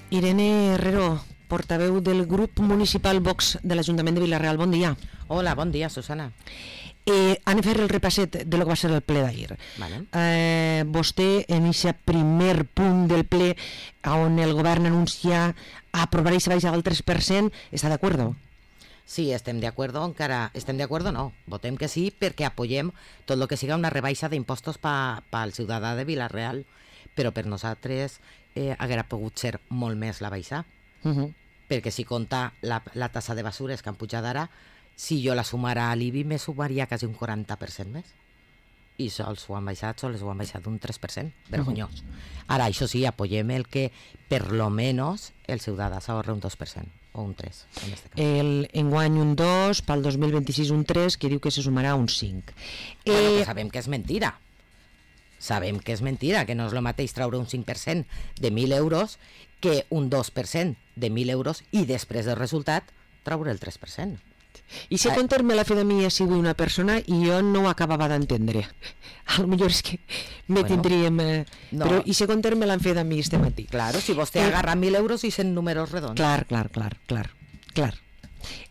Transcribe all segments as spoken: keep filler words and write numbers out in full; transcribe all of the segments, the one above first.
Irene Herrero, portaveu del grup municipal Vox de l'Ajuntament de Vila-real. Bon dia. Hola, bon dia, Susana. Eh, anem a fer el repasset de lo que va ser el ple d'ahir. Vale. Eh, vostè, en aquest primer punt del ple, on el govern anuncia aprovar aquesta baixada del tres per cent, està d'acord? Sí, estem d'acord, encara estem d'acord, no. Votem que sí perquè apoyem tot el que siga una rebaixa d'impostos pel pa, ciutadà de Vila-real, però per nosaltres eh, haguera pogut ser molt més la baixa, Uh -huh. perquè si compta la, la tassa de basures que han pujat ara, si jo la sumara a l'I B I me sumaria quasi un quaranta per cent més. I sols ho han baixat, sols ho han baixat un tres per cent, vergonyós. Uh -huh. Ara, això sí, apoyem el que per lo menos el ciutadà s'ahorra un dos per cent o un tres en este cas. El enguany un dos, pel dos mil vint-i-sis un tres, que diu que se sumarà un cinc. Eh... Bueno, que sabem que és mentira. Sabem que és mentira, que no és el mateix traure un cinc per cent de mil euros que un dos per cent de mil euros i després del resultat traure el tres per cent. I si contar-me la fe de mi ha sigut una persona i jo no ho acabava d'entendre. A lo millor és que me bueno, tindríem... Eh, no. Però i si contar-me la fe de mi este matí. Claro, si vostè eh, agarra mil euros i cent números redons. Clar, clar, clar, clar, clar.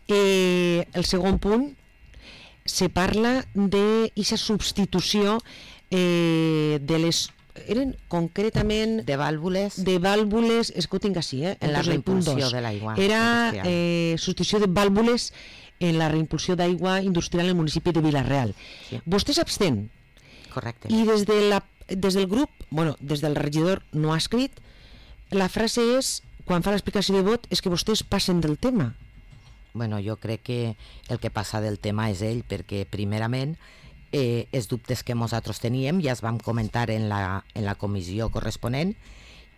Eh, el segon punt, se parla d'aquesta substitució eh, de les... eren concretament... De vàlvules. De vàlvules, és que ho tinc així, eh? En la reimpulsió de l'aigua. Era eh, substitució de vàlvules en la reimpulsió d'aigua industrial en el municipi de Vila-real. Sí. Vostè s'abstén. Correcte. I des, de la, des del grup, bueno, des del regidor no ha escrit, la frase és, quan fa l'explicació de vot, és que vostès passen del tema. Bueno, jo crec que el que passa del tema és ell, perquè primerament eh, els dubtes que nosaltres teníem ja es vam comentar en la, en la comissió corresponent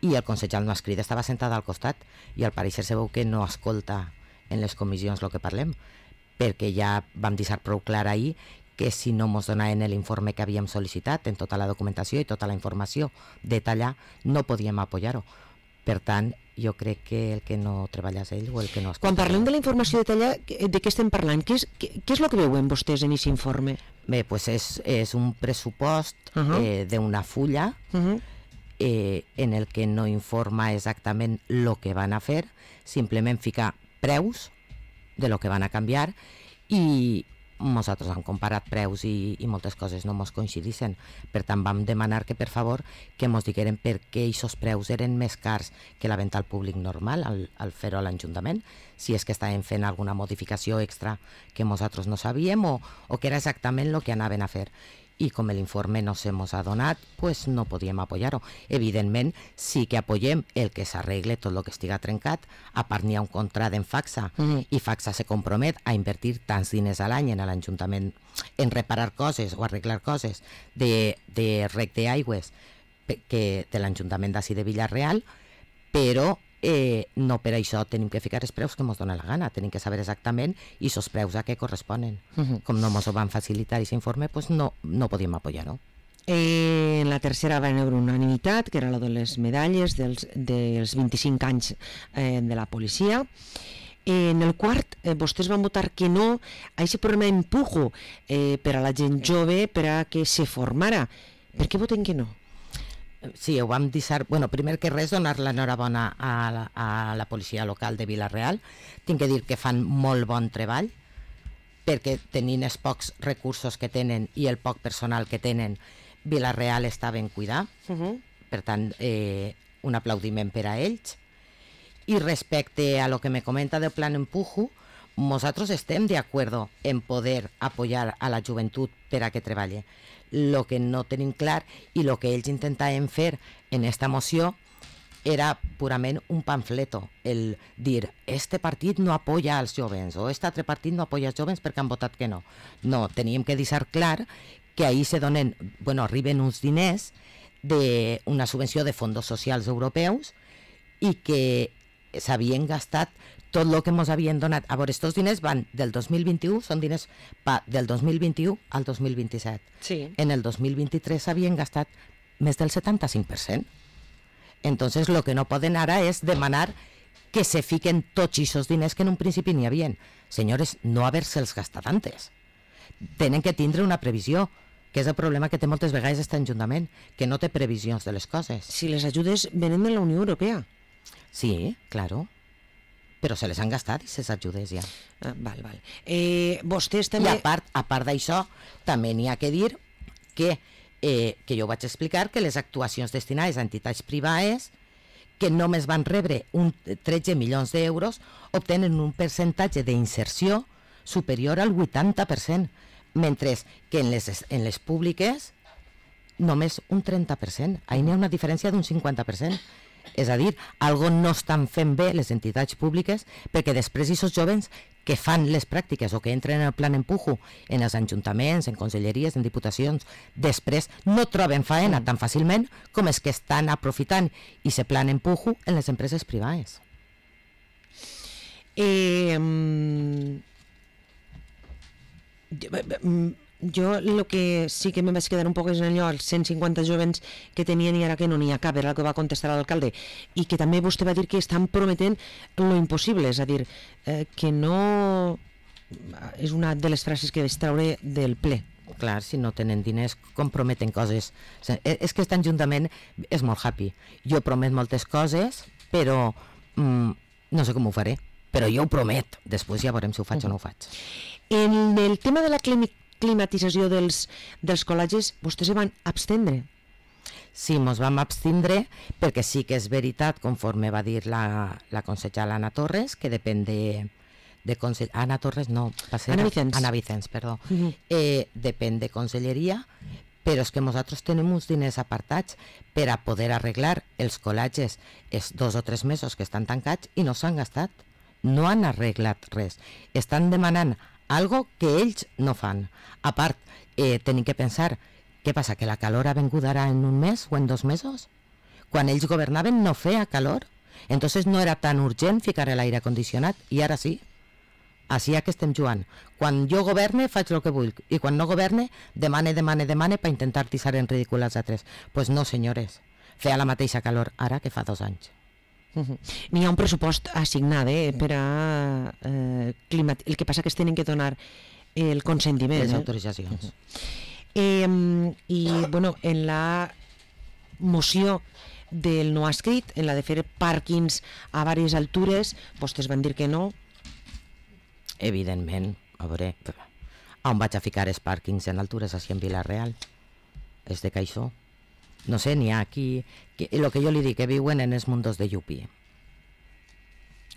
i el consellal no ha escrit, estava sentada al costat i al pareixer se veu que no escolta en les comissions el que parlem, perquè ja vam deixar prou clar ahir que si no ens donaven l'informe que havíem sol·licitat en tota la documentació i tota la informació detallada, no podíem apoyar-ho. Per tant, jo crec que el que no treballa és ell o el que no escolta. Quan parlem de la informació detallada, de què estem parlant? Què és, què, què és el que veuen vostès en aquest informe? Bé, pues és, és un pressupost uh -huh. eh, d'una fulla uh -huh. eh, en el que no informa exactament el que van a fer, simplement fica preus de lo que van a canviar i nosaltres hem comparat preus i, i moltes coses no mos coincidissin. Per tant, vam demanar que, per favor, que mos digueren per què aquests preus eren més cars que la venda al públic normal, al, al fer-ho a l'Ajuntament, si és que estaven fent alguna modificació extra que nosaltres no sabíem o, o que era exactament el que anaven a fer. I com l'informe no se mos ha donat, pues no podíem apoyar-ho. Evidentment, sí que apoyem el que s'arregle tot el que estiga trencat, a part n'hi ha un contrat en Facsa, mm. i Facsa se compromet a invertir tants diners a l'any en l'Ajuntament en reparar coses o arreglar coses de, de rec d'aigües que de l'Ajuntament d'ací de Vila-real, però eh, no per això tenim que ficar els preus que ens dona la gana, tenim que saber exactament i els preus a què corresponen. Uh -huh. Com no ens ho van facilitar aquest informe, pues no, no podíem apoyar-ho. Eh, en la tercera va haver una unanimitat, que era la de les medalles dels, dels vint-i-cinc anys eh, de la policia. Eh, en el quart, eh, vostès van votar que no a aquest programa Empujo eh, per a la gent jove, per a que se formara. Per què voten que no? Sí, ho vam deixar... Bueno, primer que res, donar l'enhorabona a, la, a la policia local de Vila-real. Tinc que dir que fan molt bon treball, perquè tenint els pocs recursos que tenen i el poc personal que tenen, Vila-real està ben cuidat. Uh -huh. Per tant, eh, un aplaudiment per a ells. I respecte a lo que me comenta del plan Empujo, nosaltres estem d'acord en poder apoyar a la joventut per a que treballe. Lo que no tenim clar i lo que ells intentaven fer en esta moció era purament un pamfleto, el dir este partit no apoya als jovens o este altre partit no apoya als jovens perquè han votat que no. No, teníem que deixar clar que ahí se donen, bueno, arriben uns diners d'una subvenció de fons socials europeus i que s'havien gastat tot el que ens havien donat. A veure, estos diners van del dos mil vint-i-u, són diners pa, del dos mil vint-i-u al dos mil vint-i-set. Sí. En el dos mil vint-i-tres s'havien gastat més del setanta-cinc per cent. Entonces, el que no poden ara és demanar que se fiquen tots aquests diners que en un principi n'hi havien. Senyores, no haver-se'ls gastat antes. Tenen que tindre una previsió, que és el problema que té moltes vegades aquest Ajuntament, que no té previsions de les coses. Si les ajudes venen de la Unió Europea. Sí, claro. Però se les han gastat, aquestes ajudes ja. Ah, val, val. Eh, vostès també... I a part, a part d'això, també n'hi ha que dir que, eh, que jo vaig explicar que les actuacions destinades a entitats privades que només van rebre un tretze milions d'euros obtenen un percentatge d'inserció superior al vuitanta per cent, mentre que en les, en les públiques només un trenta per cent. Ahí n'hi ha una diferència d'un cinquanta per cent. És a dir, algo no estan fent bé les entitats públiques perquè després aquests jovens que fan les pràctiques o que entren en el plan empujo en els ajuntaments, en conselleries, en diputacions, després no troben faena tan fàcilment com els que estan aprofitant i se plan empujo en les empreses privades. Eh, jo el que sí que me vaig quedar un poc és en allò, els cent cinquanta jovens que tenien i ara que no n'hi ha cap, era el que va contestar l'alcalde, i que també vostè va dir que estan prometent lo impossible, és a dir, eh, que no... És una de les frases que vaig treure del ple. Clar, si no tenen diners, com prometen coses? És que aquest ajuntament és molt happy. Jo promet moltes coses, però mm, no sé com ho faré, però jo ho promet. Després ja veurem si ho faig uh-huh. o no ho faig. En el tema de la clínica climatització dels, dels col·legis, vostès se van abstendre? Sí, ens vam abstindre perquè sí que és veritat, conforme va dir la, la consellera Anna Torres, que depèn de, de consell... Anna Torres no, va ser Anna Vicens. Anna Vicens, perdó. Uh-huh. Eh, depèn de conselleria, però és que nosaltres tenim uns diners apartats per a poder arreglar els col·legis els dos o tres mesos que estan tancats i no s'han gastat. No han arreglat res. Estan demanant algo que ells no fan. A part, eh, tenim que pensar, què passa, que la calor ha vengut ara en un mes o en dos mesos? Quan ells governaven no feia calor, entonces no era tan urgent ficar l'aire condicionat, i ara sí. Així que estem jugant. Quan jo governe faig el que vull, i quan no governe demane, demane, demane per intentar tissar en ridícul als altres. Doncs pues no, senyores, feia la mateixa calor ara que fa dos anys. Uh-huh. N'hi ha un pressupost assignat eh, per a eh, climat... El que passa que es tenen que donar el consentiment. Les eh? autoritzacions. Uh-huh. eh, I, bueno, en la moció del no escrit, en la de fer pàrquings a diverses altures, vostès van dir que no. Evidentment, a veure, on vaig a ficar els pàrquings en altures així en Vila-real? És de caixó. No sé, n'hi ha aquí... Que, el que jo li dic, que viuen en els mundos de Yupi.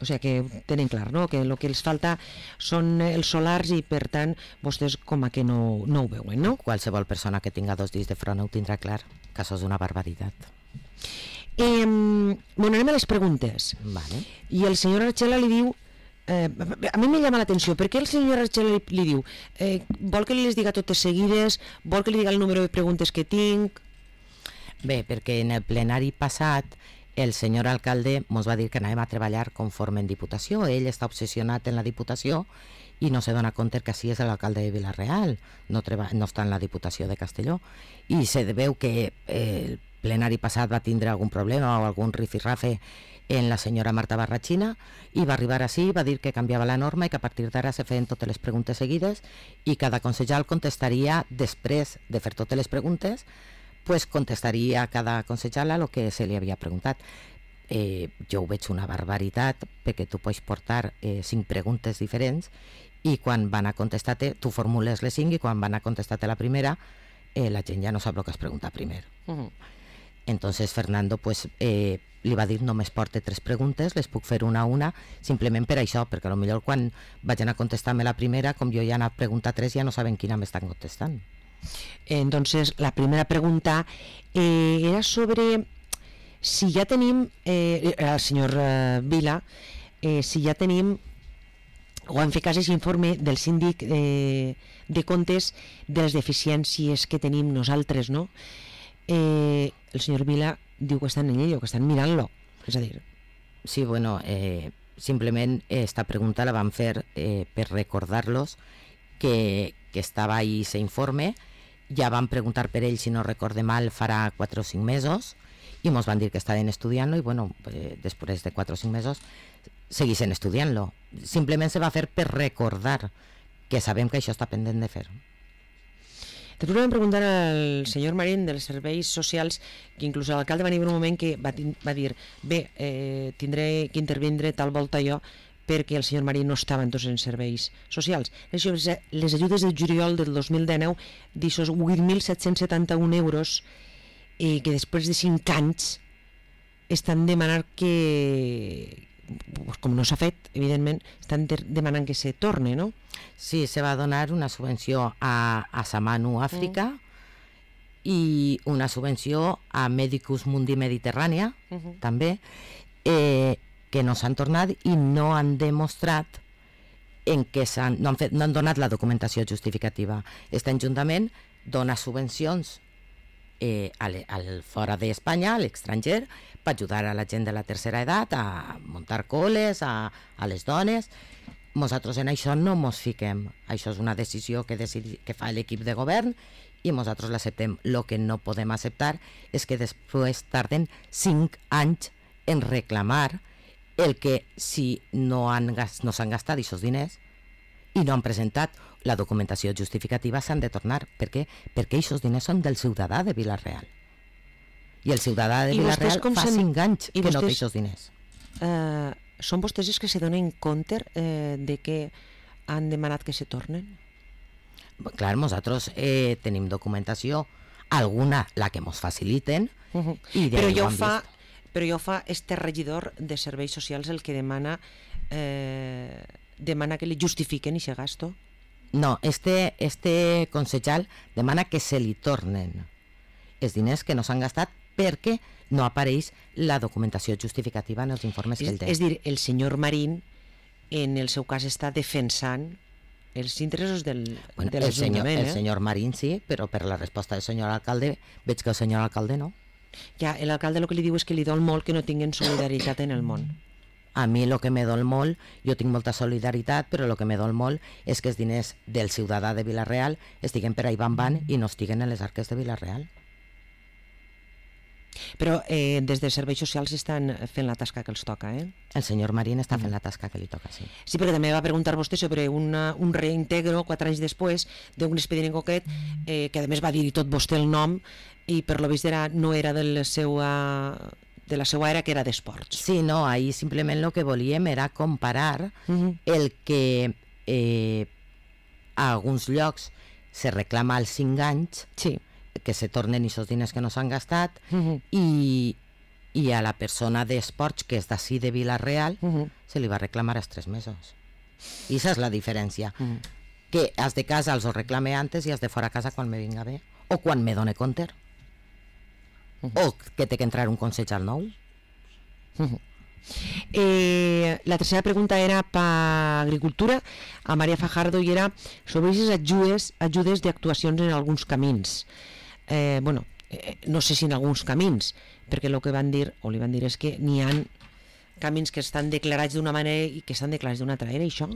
O sigui que tenen clar, no? Que el que els falta són els solars i, per tant, vostès com a que no, no ho veuen, no? Qualsevol persona que tinga dos dits de front ho tindrà clar, que això és una barbaritat. Eh, bueno, anem a les preguntes. Vale. I el senyor Archela li diu... Eh, a mi me llama l'atenció, per què el senyor Archela li, li diu eh, vol que li les diga totes seguides, vol que li diga el número de preguntes que tinc... Bé, perquè en el plenari passat el senyor alcalde ens va dir que anàvem a treballar conforme en Diputació. Ell està obsessionat en la Diputació i no se dona compte que així és l'alcalde de Vila-real, no, treba, no està en la Diputació de Castelló. I se veu que el plenari passat va tindre algun problema o algun rifirrafe en la senyora Marta Barrachina i va arribar així, va dir que canviava la norma i que a partir d'ara se feien totes les preguntes seguides i cada consellal contestaria després de fer totes les preguntes, pues contestaria a cada consellala el que se li havia preguntat. Eh, jo ho veig una barbaritat perquè tu pots portar eh, cinc preguntes diferents i quan van a contestar-te, tu formules les cinc i quan van a contestar-te la primera eh, la gent ja no sap el que has preguntat primer. Uh-huh. Entonces Fernando pues, eh, li va dir només porte tres preguntes, les puc fer una a una simplement per això, perquè potser quan vagin a contestar-me la primera, com jo ja n'he preguntat tres, ja no saben quina m'estan contestant. Entonces, la primera pregunta eh, era sobre si ja tenim, eh, el senyor eh, Vila, eh, si ja tenim, o han fet cas aquest informe del síndic eh, de comptes de les deficiències que tenim nosaltres, no? Eh, el senyor Vila diu que estan en ello, que estan mirant-lo, és a dir... Sí, bueno, eh, simplement esta pregunta la van fer eh, per recordar-los que, que estava ahí ese informe. Ja van preguntar per ell, si no recorde mal, farà quatre o cinc mesos, i ens van dir que estaven estudiant-lo, i bueno, eh, després de quatre o cinc mesos seguissin estudiant-lo. Simplement se va fer per recordar que sabem que això està pendent de fer. Te tornem a preguntar al senyor Marín dels serveis socials, que inclús l'alcalde va venir un moment que va, va dir bé, eh, tindré que intervindre tal volta jo perquè el senyor Marín no estava entonces en serveis socials. Les ajudes de juliol del dos mil dinou d'aixòs vuit mil set-cents setanta-un euros eh, que després de cinc anys estan demanant que, pues, com no s'ha fet, evidentment, estan de demanant que se torne, no? Sí, se va donar una subvenció a, a Samanu, Àfrica, mm. i una subvenció a Medicus Mundi Mediterrània, uh -huh. també, eh, que no s'han tornat i no han demostrat en què s'han, no, han fet, no han donat la documentació justificativa. Aquest Ajuntament dona subvencions eh, al, al fora d'Espanya, a l'estranger, per ajudar a la gent de la tercera edat a muntar coles, a, a les dones. Nosaltres en això no mos fiquem. Això és una decisió que, decidi, que fa l'equip de govern i nosaltres l'acceptem. El que no podem acceptar és que després tarden cinc anys en reclamar el que si no han no s'han gastat aquests diners i no han presentat la documentació justificativa s'han de tornar. Per què? Perquè aquests diners són del ciutadà de Vila-real. I el ciutadà de Vila-real fa cinc anys que no té aquests diners. Uh, són vostès els que se donen compte eh, de que han demanat que se tornen? Clar, nosaltres eh, tenim documentació, alguna la que ens faciliten, uh -huh. i però jo fa però jo fa este regidor de serveis socials el que demana eh, demana que li justifiquen aquest gasto? No, este, este consellal demana que se li tornen els diners que no s'han gastat perquè no apareix la documentació justificativa en els informes és, que ell té. És dir, el senyor Marín en el seu cas està defensant els interessos del, bueno, de l'Ajuntament. El, eh? el senyor Marín sí, però per la resposta del senyor alcalde veig que el senyor alcalde no. Ja, l'alcalde el que li diu és que li dol molt que no tinguin solidaritat en el món. A mi el que me dol molt, jo tinc molta solidaritat, però el que me dol molt és que els diners del ciutadà de Vila-real estiguen per ahí van van i no estiguen en les arques de Vila-real. Però eh, des dels serveis socials estan fent la tasca que els toca, eh? El senyor Marín està fent la tasca que li toca, sí. Sí, perquè també va preguntar vostè sobre una, un reintegro quatre anys després d'un expedient en concret, eh, que a més va dir tot vostè el nom, i per lo vist era, no era de la seva, de la seva era, que era d'esports. Sí, no, ahí simplement el que volíem era comparar uh -huh. el que eh, a alguns llocs se reclama als cinc anys, sí, que se tornen aquests diners que no s'han gastat, uh -huh. i, i a la persona d'esports, que és d'ací de Vila-real, uh -huh. se li va reclamar als tres mesos. I aquesta és la diferència. Uh -huh. Que els de casa els ho reclame antes i els de fora casa quan me vinga bé, o quan me done compte, uh -huh. o que té que entrar un consell al nou. Uh -huh. Eh, la tercera pregunta era per Agricultura, a Maria Fajardo, i era sobre aquestes ajudes, ajudes d'actuacions en alguns camins. Eh, bueno, eh, no sé si en alguns camins, perquè el que van dir, o li van dir, és que n'hi ha camins que estan declarats d'una manera i que estan declarats d'una altra. Era això?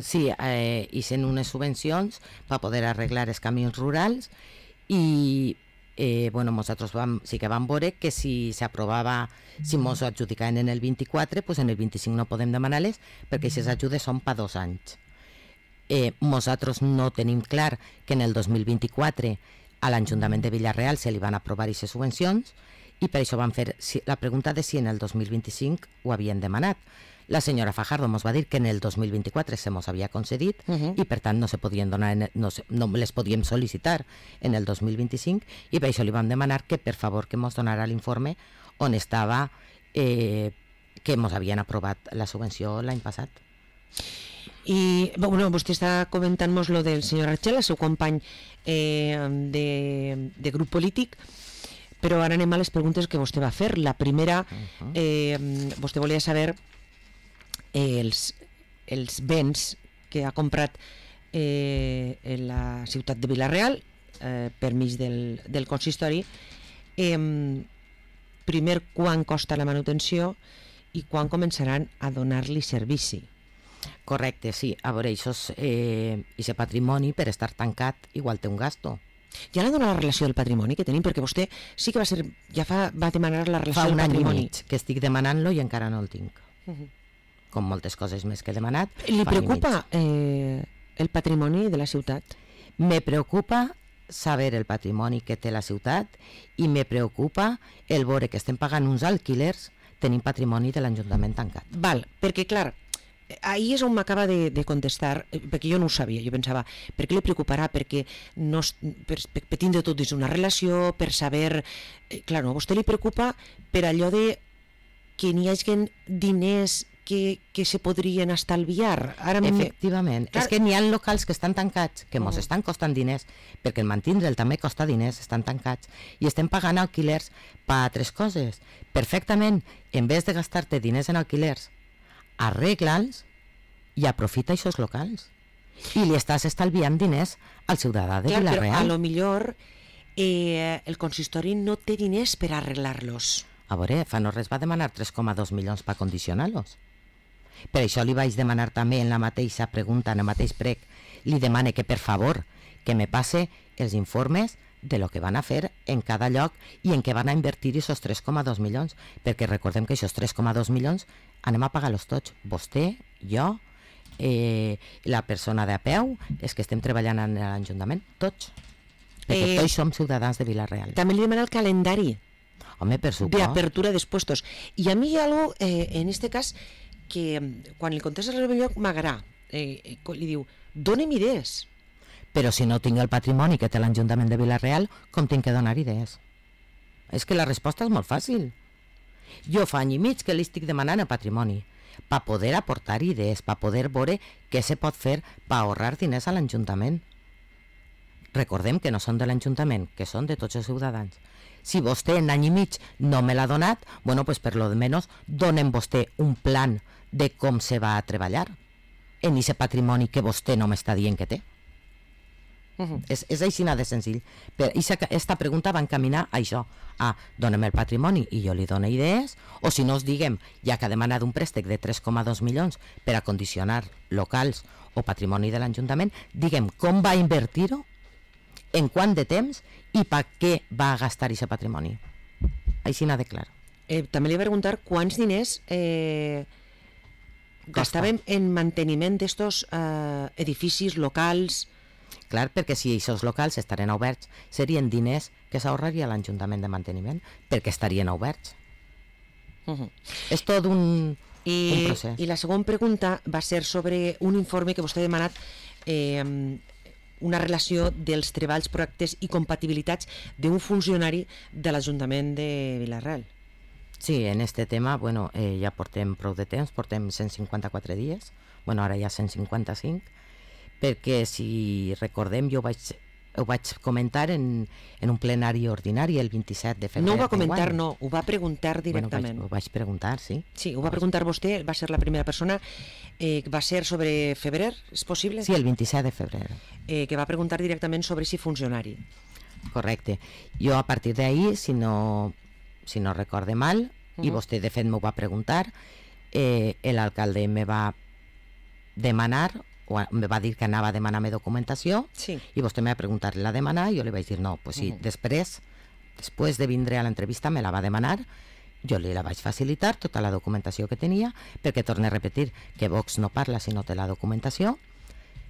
Sí, eh, i sent unes subvencions per poder arreglar els camins rurals i eh, bueno, nosaltres vam, sí que vam veure que si s'aprovava, si mos ho adjudicaven en el vint-i-quatre, pues en el vint-i-cinc no podem demanar-les perquè aquestes ajudes són per dos anys. Eh, nosaltres no tenim clar que en el dos mil vint-i-quatre a l'Ajuntament de Vila-real se li van aprovar aquestes subvencions i per això van fer la pregunta de si en el dos mil vint-i-cinc ho havien demanat. La senyora Fajardo ens va dir que en el dos mil vint-i-quatre se mos havia concedit uh -huh. i per tant no se podien donar, en, no, se, no les podíem sol·licitar en el dos mil vint-i-cinc i per això li vam demanar que per favor que mos donara l'informe on estava eh, que mos havien aprovat la subvenció l'any passat. I bueno, vostè està comentant-nos lo del senyor Archel, el seu company eh, de, de grup polític, però ara anem a les preguntes que vostè va fer. La primera, eh, vostè volia saber eh, els, els béns que ha comprat eh, en la ciutat de Vila-real eh, per mig del, del consistori. Eh, primer, quan costa la manutenció i quan començaran a donar-li servici. Correcte, sí. A veure, això és eh, aquest patrimoni, per estar tancat, igual té un gasto. Ja l'ha donat la relació del patrimoni que tenim, perquè vostè sí que va ser, ja fa, va demanar la relació fa del patrimoni. Fa un any i mig que estic demanant-lo i encara no el tinc. Uh -huh. Com moltes coses més que he demanat. Li preocupa eh, el patrimoni de la ciutat? Me preocupa saber el patrimoni que té la ciutat i me preocupa el veure que estem pagant uns alquilers tenint patrimoni de l'Ajuntament tancat. Val, perquè clar, ahir és on m'acaba de, de contestar, perquè jo no ho sabia, jo pensava, per què li preocuparà? Perquè no, per, per, per tindre tot dins una relació, per saber... Eh, clar, no, a vostè li preocupa per allò de que n'hi hagi diners que, que se podrien estalviar. Ara Efectivament, clar... és que n'hi ha locals que estan tancats, que mos uh -huh. estan costant diners, perquè el mantindre'l també costa diners, estan tancats, i estem pagant alquilers per altres coses. Perfectament, en vez de gastar-te diners en alquilers, arregla'ls i aprofita aquests locals. I li estàs estalviant diners al ciutadà de clar, Vila-real. Però a lo millor eh, el consistori no té diners per arreglar-los. A veure, fa no res va demanar tres coma dos milions per condicionar-los. Per això li vaig demanar també en la mateixa pregunta, en el mateix prec, li demane que per favor que me passe els informes de lo que van a fer en cada lloc i en què van a invertir aquests tres coma dos milions, perquè recordem que aquests tres coma dos milions anem a pagar-los tots, vostè, jo, eh, la persona de a peu, és que estem treballant en l'Ajuntament, tots, perquè eh, tots som ciutadans de Vila-real. També li demana el calendari. Home, per supost. De apertura dels puestos. I a mi hi ha algo, eh, en este cas, que quan li contesta el lloc m'agrada, eh, li diu, dóna'm idees. Però si no tinc el patrimoni que té l'Ajuntament de Vila-real, com tinc que donar idees? És que la resposta és molt fàcil. Jo fa any i mig que li estic demanant el patrimoni, per poder aportar idees, per poder veure què se pot fer per ahorrar diners a l'Ajuntament. Recordem que no són de l'Ajuntament, que són de tots els ciutadans. Si vostè en any i mig no me l'ha donat, bueno, pues per lo de menos donen vostè un plan de com se va a treballar en aquest patrimoni que vostè no m'està dient que té. Uh-huh. És, és així de senzill. Per aquesta pregunta va encaminar a això, a dona'm el patrimoni i jo li dono idees, o si no us diguem, ja que ha demanat un préstec de tres coma dos milions per a condicionar locals o patrimoni de l'Ajuntament, diguem com va invertir-ho, en quant de temps i per què va gastar aquest patrimoni. Així n'ha de clar. Eh, també li va preguntar quants diners eh, gastàvem en manteniment d'estos eh, edificis locals. Clar, perquè si aquests locals estarien oberts, serien diners que s'ahorraria l'Ajuntament de manteniment, perquè estarien oberts. Uh-huh. És tot un, I, un procés. I la segona pregunta va ser sobre un informe que vostè ha demanat, eh, una relació dels treballs, projectes i compatibilitats d'un funcionari de l'Ajuntament de Vila-real. Sí, en este tema, bueno, eh, ja portem prou de temps, portem cent cinquanta-quatre dies, bueno, ara ja cent cinquanta-cinc, perquè si recordem, jo vaig, ho vaig comentar en, en un plenari ordinari el vint-i-set de febrer. No ho va comentar, no, ho va preguntar directament. Bueno, ho, vaig, ho vaig preguntar, sí. Sí, ho va preguntar vostè, va ser la primera persona, eh, va ser sobre febrer, és possible? Sí, el vint-i-set de febrer. Eh, que va preguntar directament sobre si funcionari. Correcte. Jo a partir d'ahir, si no, si no recorde mal, uh-huh. i vostè de fet m'ho va preguntar, eh, l'alcalde me va demanar, o me va dir que anava a demanar-me documentació, sí. i vostè me va preguntar, la demanar, i jo li vaig dir no, pues sí, uh-huh. després, després de vindre a l'entrevista me la va demanar, jo li la vaig facilitar, tota la documentació que tenia, perquè torne a repetir que Vox no parla si no té la documentació,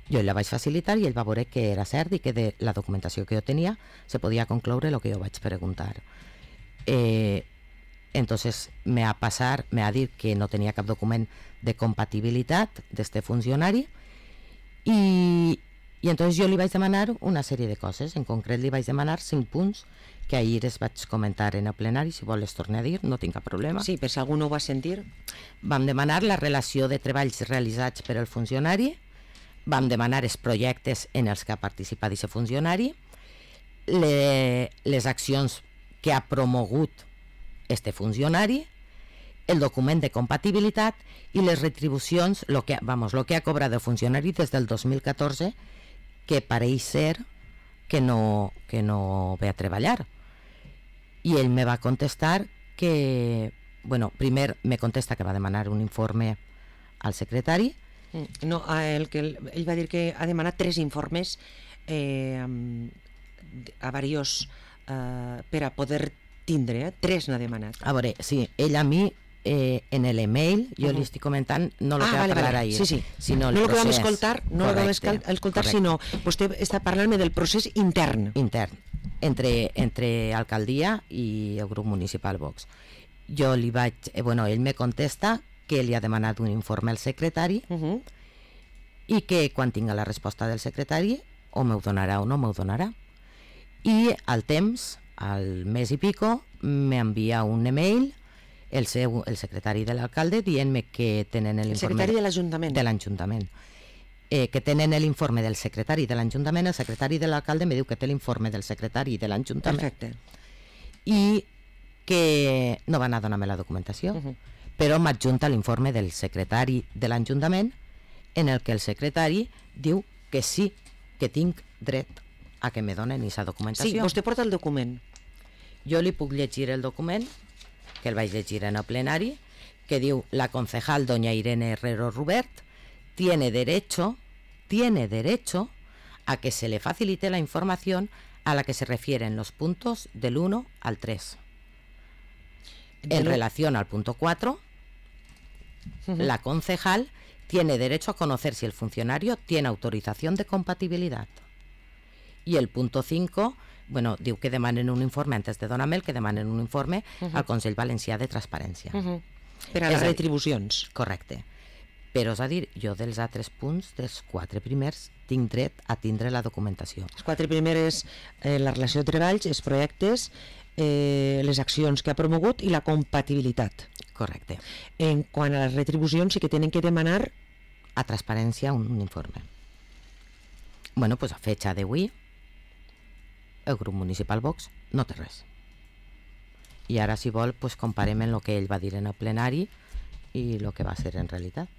jo la vaig facilitar i ell va veure que era cert i que de la documentació que jo tenia se podia concloure el que jo vaig preguntar. Eh, entonces me ha passar, me ha dit que no tenia cap document de compatibilitat d'este funcionari i, i entonces jo li vaig demanar una sèrie de coses, en concret li vaig demanar cinc punts que ahir es vaig comentar en el plenari, si vol les torne a dir, no tinc cap problema. Sí, per si algú no ho va sentir. Vam demanar la relació de treballs realitzats per al funcionari, vam demanar els projectes en els que ha participat aquest funcionari, le, les accions que ha promogut este funcionari, el document de compatibilitat i les retribucions, lo que, vamos, lo que ha cobrat el funcionari des del dos mil catorze, que pareix ser que no, que no ve a treballar. I ell me va contestar que, bueno, primer me contesta que va demanar un informe al secretari. No, el que ell va dir que ha demanat tres informes eh, a varios eh, per a poder tindre, eh? Tres n'ha demanat. A veure, sí, ell a mi Eh, en l'email, jo uh -huh. li estic comentant no el ah, que va vale, parlar vale. ahir, sí, sí. sinó el no procés. No el que vam escoltar, no correcte, el que vam escoltar, correcte. Sinó vostè està parlant-me del procés intern. Intern, entre, entre alcaldia i el grup municipal Vox. Jo li vaig... Eh, bueno, ell me contesta que li ha demanat un informe al secretari uh -huh. i que quan tinga la resposta del secretari o m'ho donarà o no m'ho donarà. I al temps, al mes i pico, m'envia un email el, seu, el secretari de l'alcalde dient-me que tenen l'informe... El secretari de l'Ajuntament. De l'Ajuntament. Eh, que tenen l'informe del secretari de l'Ajuntament, el secretari de l'alcalde me diu que té l'informe del secretari de l'Ajuntament. Perfecte. I que no van a donar-me la documentació, uh -huh. però m'adjunta l'informe del secretari de l'Ajuntament en el que el secretari diu que sí, que tinc dret a que me donen aquesta documentació. Sí, vostè porta el document. Jo li puc llegir el document, que el vaig llegir en el plenari, que diu: la concejal doña Irene Herrero Rubert tiene derecho, tiene derecho a que se le facilite la información a la que se refieren los puntos del uno al tres. En relación al punto cuatro, uh-huh. la concejal tiene derecho a conocer si el funcionario tiene autorización de compatibilidad. Y el punto cinco, bueno, diu que demanen un informe, antes de donar-me el que demanen un informe uh-huh. al Consell Valencià de Transparència. Uh-huh. Per a les retribucions. Correcte. Però, és a dir, jo dels altres punts, dels quatre primers, tinc dret a tindre la documentació. Els quatre primers, eh, la relació de treballs, els projectes, eh, les accions que ha promogut i la compatibilitat. Correcte. En quant a les retribucions, sí que tenen que demanar a Transparència un, un informe. Bueno, pues a fecha d'avui, el grup municipal Vox no té res. I ara, si vol, pues comparem en el que ell va dir en el plenari i el que va ser en realitat.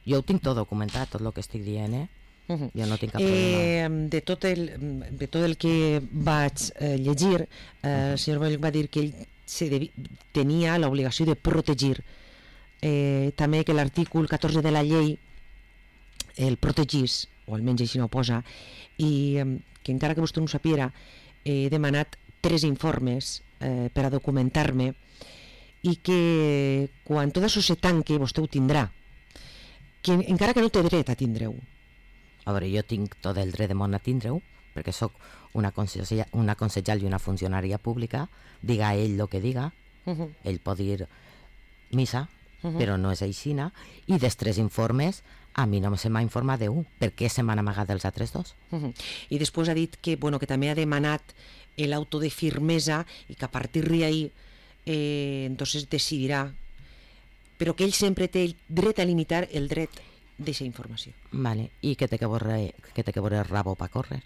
Jo ho tinc tot documentat, tot el que estic dient, eh? Uh-huh. Jo no tinc cap problema. Eh, de, tot el, de tot el que vaig eh, llegir, eh, uh-huh. el senyor Boll va dir que ell se devi, tenia l'obligació de protegir. Eh, també que l'artícul catorze de la llei el protegís, o almenys així no ho posa, i eh, que encara que vostè no ho sapiera, he demanat tres informes eh, per a documentar-me i que quan tot això se tanque vostè ho tindrà, que encara que no té dret a tindre-ho. A veure, jo tinc tot el dret de món a tindre-ho, perquè sóc una, consellera, una consellal i una funcionària pública, diga ell el que diga, uh-huh. ell pot dir missa, uh-huh. però no és aixina, i dels tres informes a mi no se m'ha informat d'un, per què se m'han amagat els altres dos? Uh-huh. I després ha dit que, bueno, que també ha demanat l'auto de firmesa i que a partir d'ahí eh, entonces decidirà, però que ell sempre té el dret a limitar el dret d'aquesta informació. Vale. I que té que veure, que té que veure el rabo per córrer?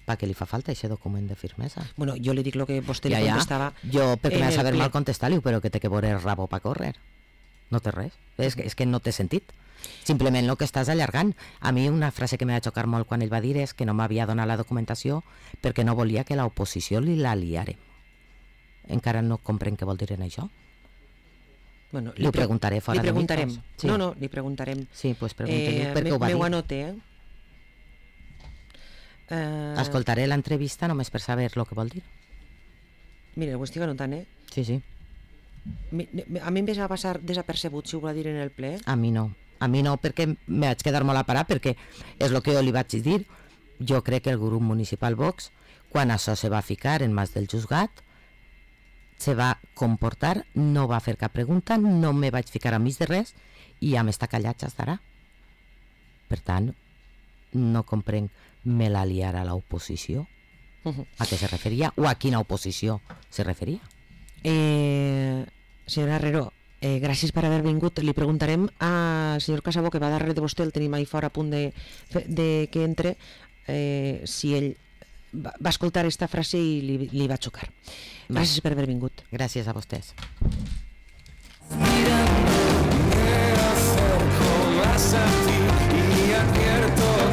Per què li fa falta aquest document de firmesa? Bueno, jo li dic el que vostè ja, li ja. contestava. Jo, perquè m'ha de saber ple... mal contestar-li, però que té que veure el rabo per córrer. No té res. És que, és que no té sentit. Simplement el que estàs allargant. A mi una frase que m'ha de xocar molt quan ell va dir és que no m'havia donat la documentació perquè no volia que l'oposició li la liarem. Encara no comprenc què vol dir en això. Bueno, li, li preguntaré fora li preguntarem. de mi. Sí. No, no, li preguntarem. Sí, doncs pues pregunta-li eh, per què ho va dir. M'ho anote, eh? Uh... Escoltaré l'entrevista només per saber el que vol dir. Mira, ho estic anotant, eh? Sí, sí. A mi em va passar desapercebut, si ho va dir en el ple. A mi no. A mi no, perquè me vaig quedar molt a parar, perquè és el que jo li vaig dir. Jo crec que el grup municipal Vox, quan això se va ficar en mans del juzgat, se va comportar, no va fer cap pregunta, no me vaig ficar a mig de res i ja m'està callat ja estarà. Per tant, no comprenc me la liarà l'oposició. Uh-huh. A què se referia o a quina oposició se referia? Eh, senyora Herrero, eh, gràcies per haver vingut. Li preguntarem al senyor Casabó, que va darrere de vostè, el tenim ahí fora a punt de, de que entre, eh, si ell va, va escoltar aquesta frase i li, li va xocar. Gràcies per haver vingut. Gràcies a vostès.